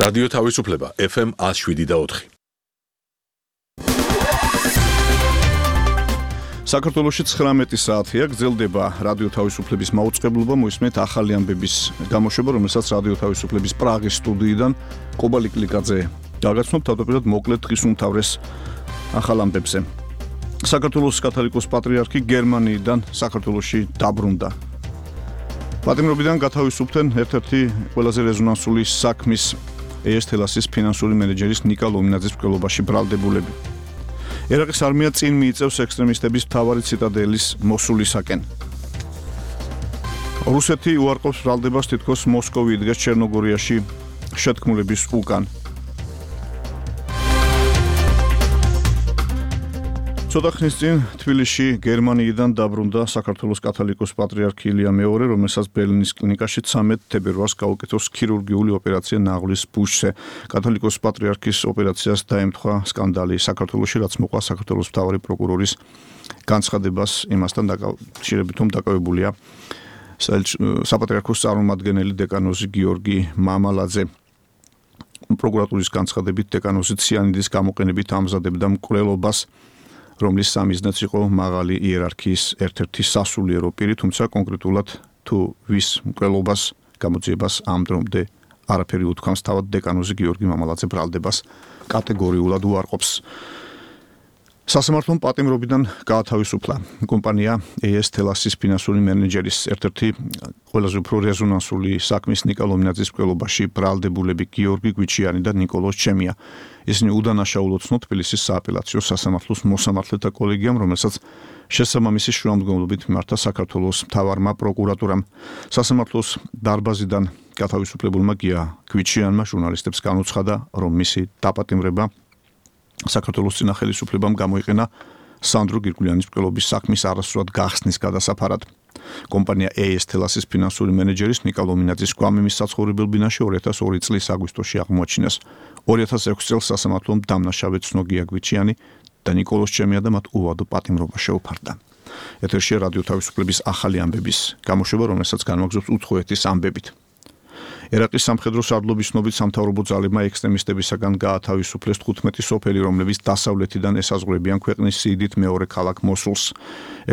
რადიო თავისუფლება FM 107.4. საქართველოში 19 საათია გრძელდება რადიო თავისუფლების მაუწყებლობა, მოისმენთ ახალი ამბების გამოშვება, რომელსაც რადიო თავისუფლების პრაღის სტუდიიდან კობა ლიკლიკაძე გაგაცნობთ თავდაპირველად მოკლედ დღის უმთავრეს ახალ ამბებზე. საქართველოს კათოლიკოს პატრიარქი გერმანიიდან საქართველოში დაბრუნდა. პატიმრობიდან გათავისუფლდნენ ერთ-ერთი ყველაზე რეზონანსული საქმის ES-Telas-ის ფინანსური მენეჯერის ნიკა ლომინაძის მკვლელობაში ბრალდებულები. ერაყის არმია წინ მიიწევს ექსტრემისტების მთავარი ციტადელის მოსულისაკენ. რუსეთი უარყოფს ბრალდებას თითქოს მოსკოვი იდგეს ჩერნოგორიაში შეთქმულების უკან. ცოტა ხნის წინ თბილისში გერმანიიდან დაბრუნდა საქართველოს კათოლიკოს პატრიარქი ილია მეორე, რომელსაც ბერლინის კლინიკაში 13 თებერვალს გაუკეთოს ქირურგიული ოპერაცია ნაღლის ბუშზე. კათოლიკოს პატრიარქის ოპერაციას დაემთხვა სკანდალი საქართველოში, რაც მოყვა საქართველოს მთავარი პროკურორის განცხადებას იმასთან დაკავშირებით, რომ დაკავებულია საპატრიარქოს წარმომადგენელი დეკანოზი გიორგი მამალაძე. პროკურატურის განცხადებით დეკანოზი ციანიდის გამოყენებით ამზადებდა მკვლელობას, რომლის სამიზნეც იყო მაღალი იერარქიის ერთ-ერთი სასულიერო პირი, თუმცა კონკრეტულად თუ ვის მკვლელობას გამოძიებას ამ დრომდე არაფერი უთქვამს, თავად დეკანოზი გიორგი მამალაძე ბრალდებას კატეგორიულად უარყოფს. სასამართლომ პატიმრობიდან გაათავისუფლა კომპანია ES-Telas-ის ფინანსური მენეჯერის ერთ-ერთი ყველაზე უფრო რეზონანსული საქმის ნიკა ლომინაძის მკვლელობაში ბრალდებულები გიორგი გვიჩიანი და ნიკოლოზ ჩემია. ისინი უდანაშაულოდ ცნო თბილისის სააპელაციო სასამართლოს მოსამართლეთა კოლეგიამ, რომელსაც შესაბამისი შუამდგომლობით მიმართა საქართველოს მთავარმა პროკურატურამ. სასამართლოს დარბაზიდან გათავისუფლებულმა გია გვიჩიანმა ჟურნალისტებს განუცხადა, რომ მისი დაპატიმრება საქართველოს წინა ხელისუფლებამ გამოიყენა სანდრო გირგულიანის მკვლელობის საქმის არასრულად გახსნის გადასაფარად. კომპანია ES-Telas-ის ფინანსური მენეჯერის ნიკა ლომინაძის გვამიმის საცხოვრებელ ბინაში 2002 წლის აგვისტოში აღმოაჩინეს. 2006 წელს სასამართლომ დამნაშავედ ცნო გია გვიჩიანი და ნიკოლოზ ჩემია და მათ უვადო პატიმრობა შეუფარდა. ეთერშია რადიო თავისუფლების ახალი ამბების გამოშვება, რომელსაც განვაგრძობს უცხოეთის ამბებით. ერაყის სამხედრო სარდლობის ცნობით სამთავრობო ძალებმა ექსტრემისტებისაგან გაათავისუფლეს 15 სოფელი, რომლებიც დასავლეთიდან ესაზღვრებიან ქვეყნის სიდით მეორე ქალაქ მოსულს.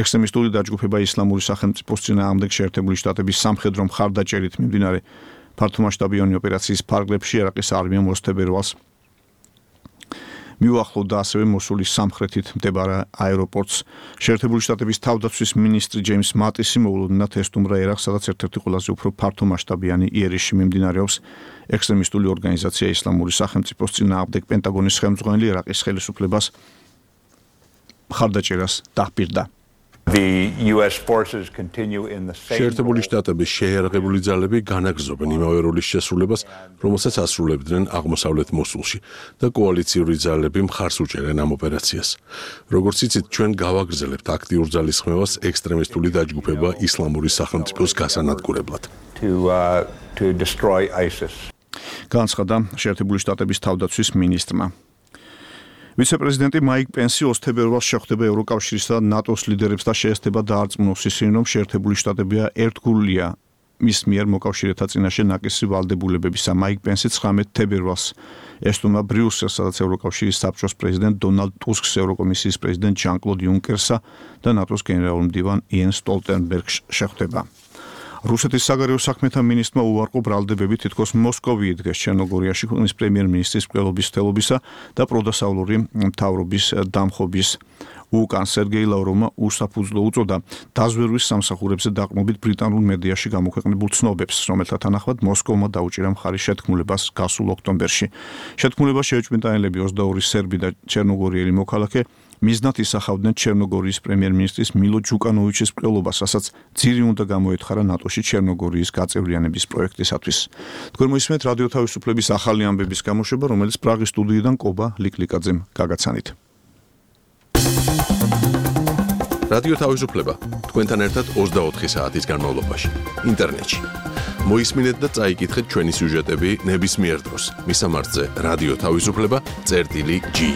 ექსტრემისტული დაჯგუფება ისლამური სახელმწიფოს წინააღმდეგ შეერთებული შტატების სამხედრო მხარდაჭერით მიმდინარე ფართომასშტაბიანი ოპერაციის ფარგლებში ერაყის არმიამ 20 თებერვალს მიუახლოვდა ასევე მოსულის სამხრეთით მდებარე აეროპორტს. შეერთებული შტატების თავდაცვის მინისტრი ჯეიმს მატისი მოულოდნელად ესტუმრა ერაყს, სადაც ერთ-ერთი ყველაზე უფრო ფართომასშტაბიანი იერიში მიმდინარეობს ექსტრემისტული ორგანიზაცია ისლამური სახელმწიფოს წინააღმდეგ. პენტაგონის ხელმძღვანელი ერაყის ხელისუფლებას მხარდაჭერას დაჰპირდა. შეერთებული შტატების შეიარაღებული ძალები განაგრძობენ იმავე როლის შესრულებას, რომელსაც ასრულებდნენ აღმოსავლეთ მოსულში და კოალიციური ძალები მხარს უჭერენ ამ ოპერაციას. როგორც იცით, ჩვენ გავაგრძელებთ აქტიურ ძალისხმევას ექსტრემისტული დაჯგუფება ისლამური სახელმწიფოს გასანადგურებლად. განცხადა შეერთებული შტატების თავდაცვის მინისტრმა. ვიცე-პრეზიდენტი მაიკ პენსი 20 თებერვალს შეხვდება ევროკავშირისა და ნატოს ლიდერებს და შეესწრება დაარწმუნოს ისინი, რომ შეერთებული შტატებია ერთგულია მის მიერ მოკავშირეთა წინაშე ნაკისი ვალდებულებებისა. მაიკ პენსი 19 თებერვალს ესტუმრა ბრიუსელს, სადაც ევროკავშირის საბჭოს პრეზიდენტ დონალდ ტუსკს, ევროკომისიის პრეზიდენტ ჟან-კლოდ იუნკერსა და ნატოს გენერალურ მდივან იენს სტოლტენბერგს შეხვდება. რუსეთის საგარეო საქმეთა მინისტრმა უარყო ბრალდებები თითქოს მოსკოვი იდგეს ჩერნოგორიაში ქვეყნის პრემიერ-მინისტრის მკვლელობის თელობისა და პროდასავლური მთავრობის დამხობის უკან. სერგეი ლავროვმა უსაფუძვლო უწოდა დაზვერვის სამსახურებზე დაყრდნობით ბრიტანულ მედიაში გამოქვეყნებულ ცნობებს, რომელთა თანახმად მოსკოვმა დაუჭირა მხარი შეთქმულებას გასულ ოქტომბერში. შეთქმულება შეეჭვმიტანილები 22 სერბი და ჩერნოგორიელი მოქალაქე მიზნად ისახავდნენ ჩერნოგორიის პრემიერ-მინისტრის მილო ჯუკანოვიჩის მკვლელობას, რასაც ძირი უნდა გამოეთხარა ნატოში ჩერნოგორიის გაწევრიანების პროექტისათვის. თქვენ მოისმენთ რადიო თავისუფლების ახალი ამბების გამოშვება, რომელიც პრაღის სტუდიიდან კობა ლიკლიკაძემ გაგაცანით. რადიო თავისუფლება თქვენთან ერთად 24 საათის განმავლობაში ინტერნეტში. მოისმინეთ და წაიკითხეთ ჩვენი სიუჟეტები ნებისმიერ დროს. მისამართზე რადიო თავისუფლება.ge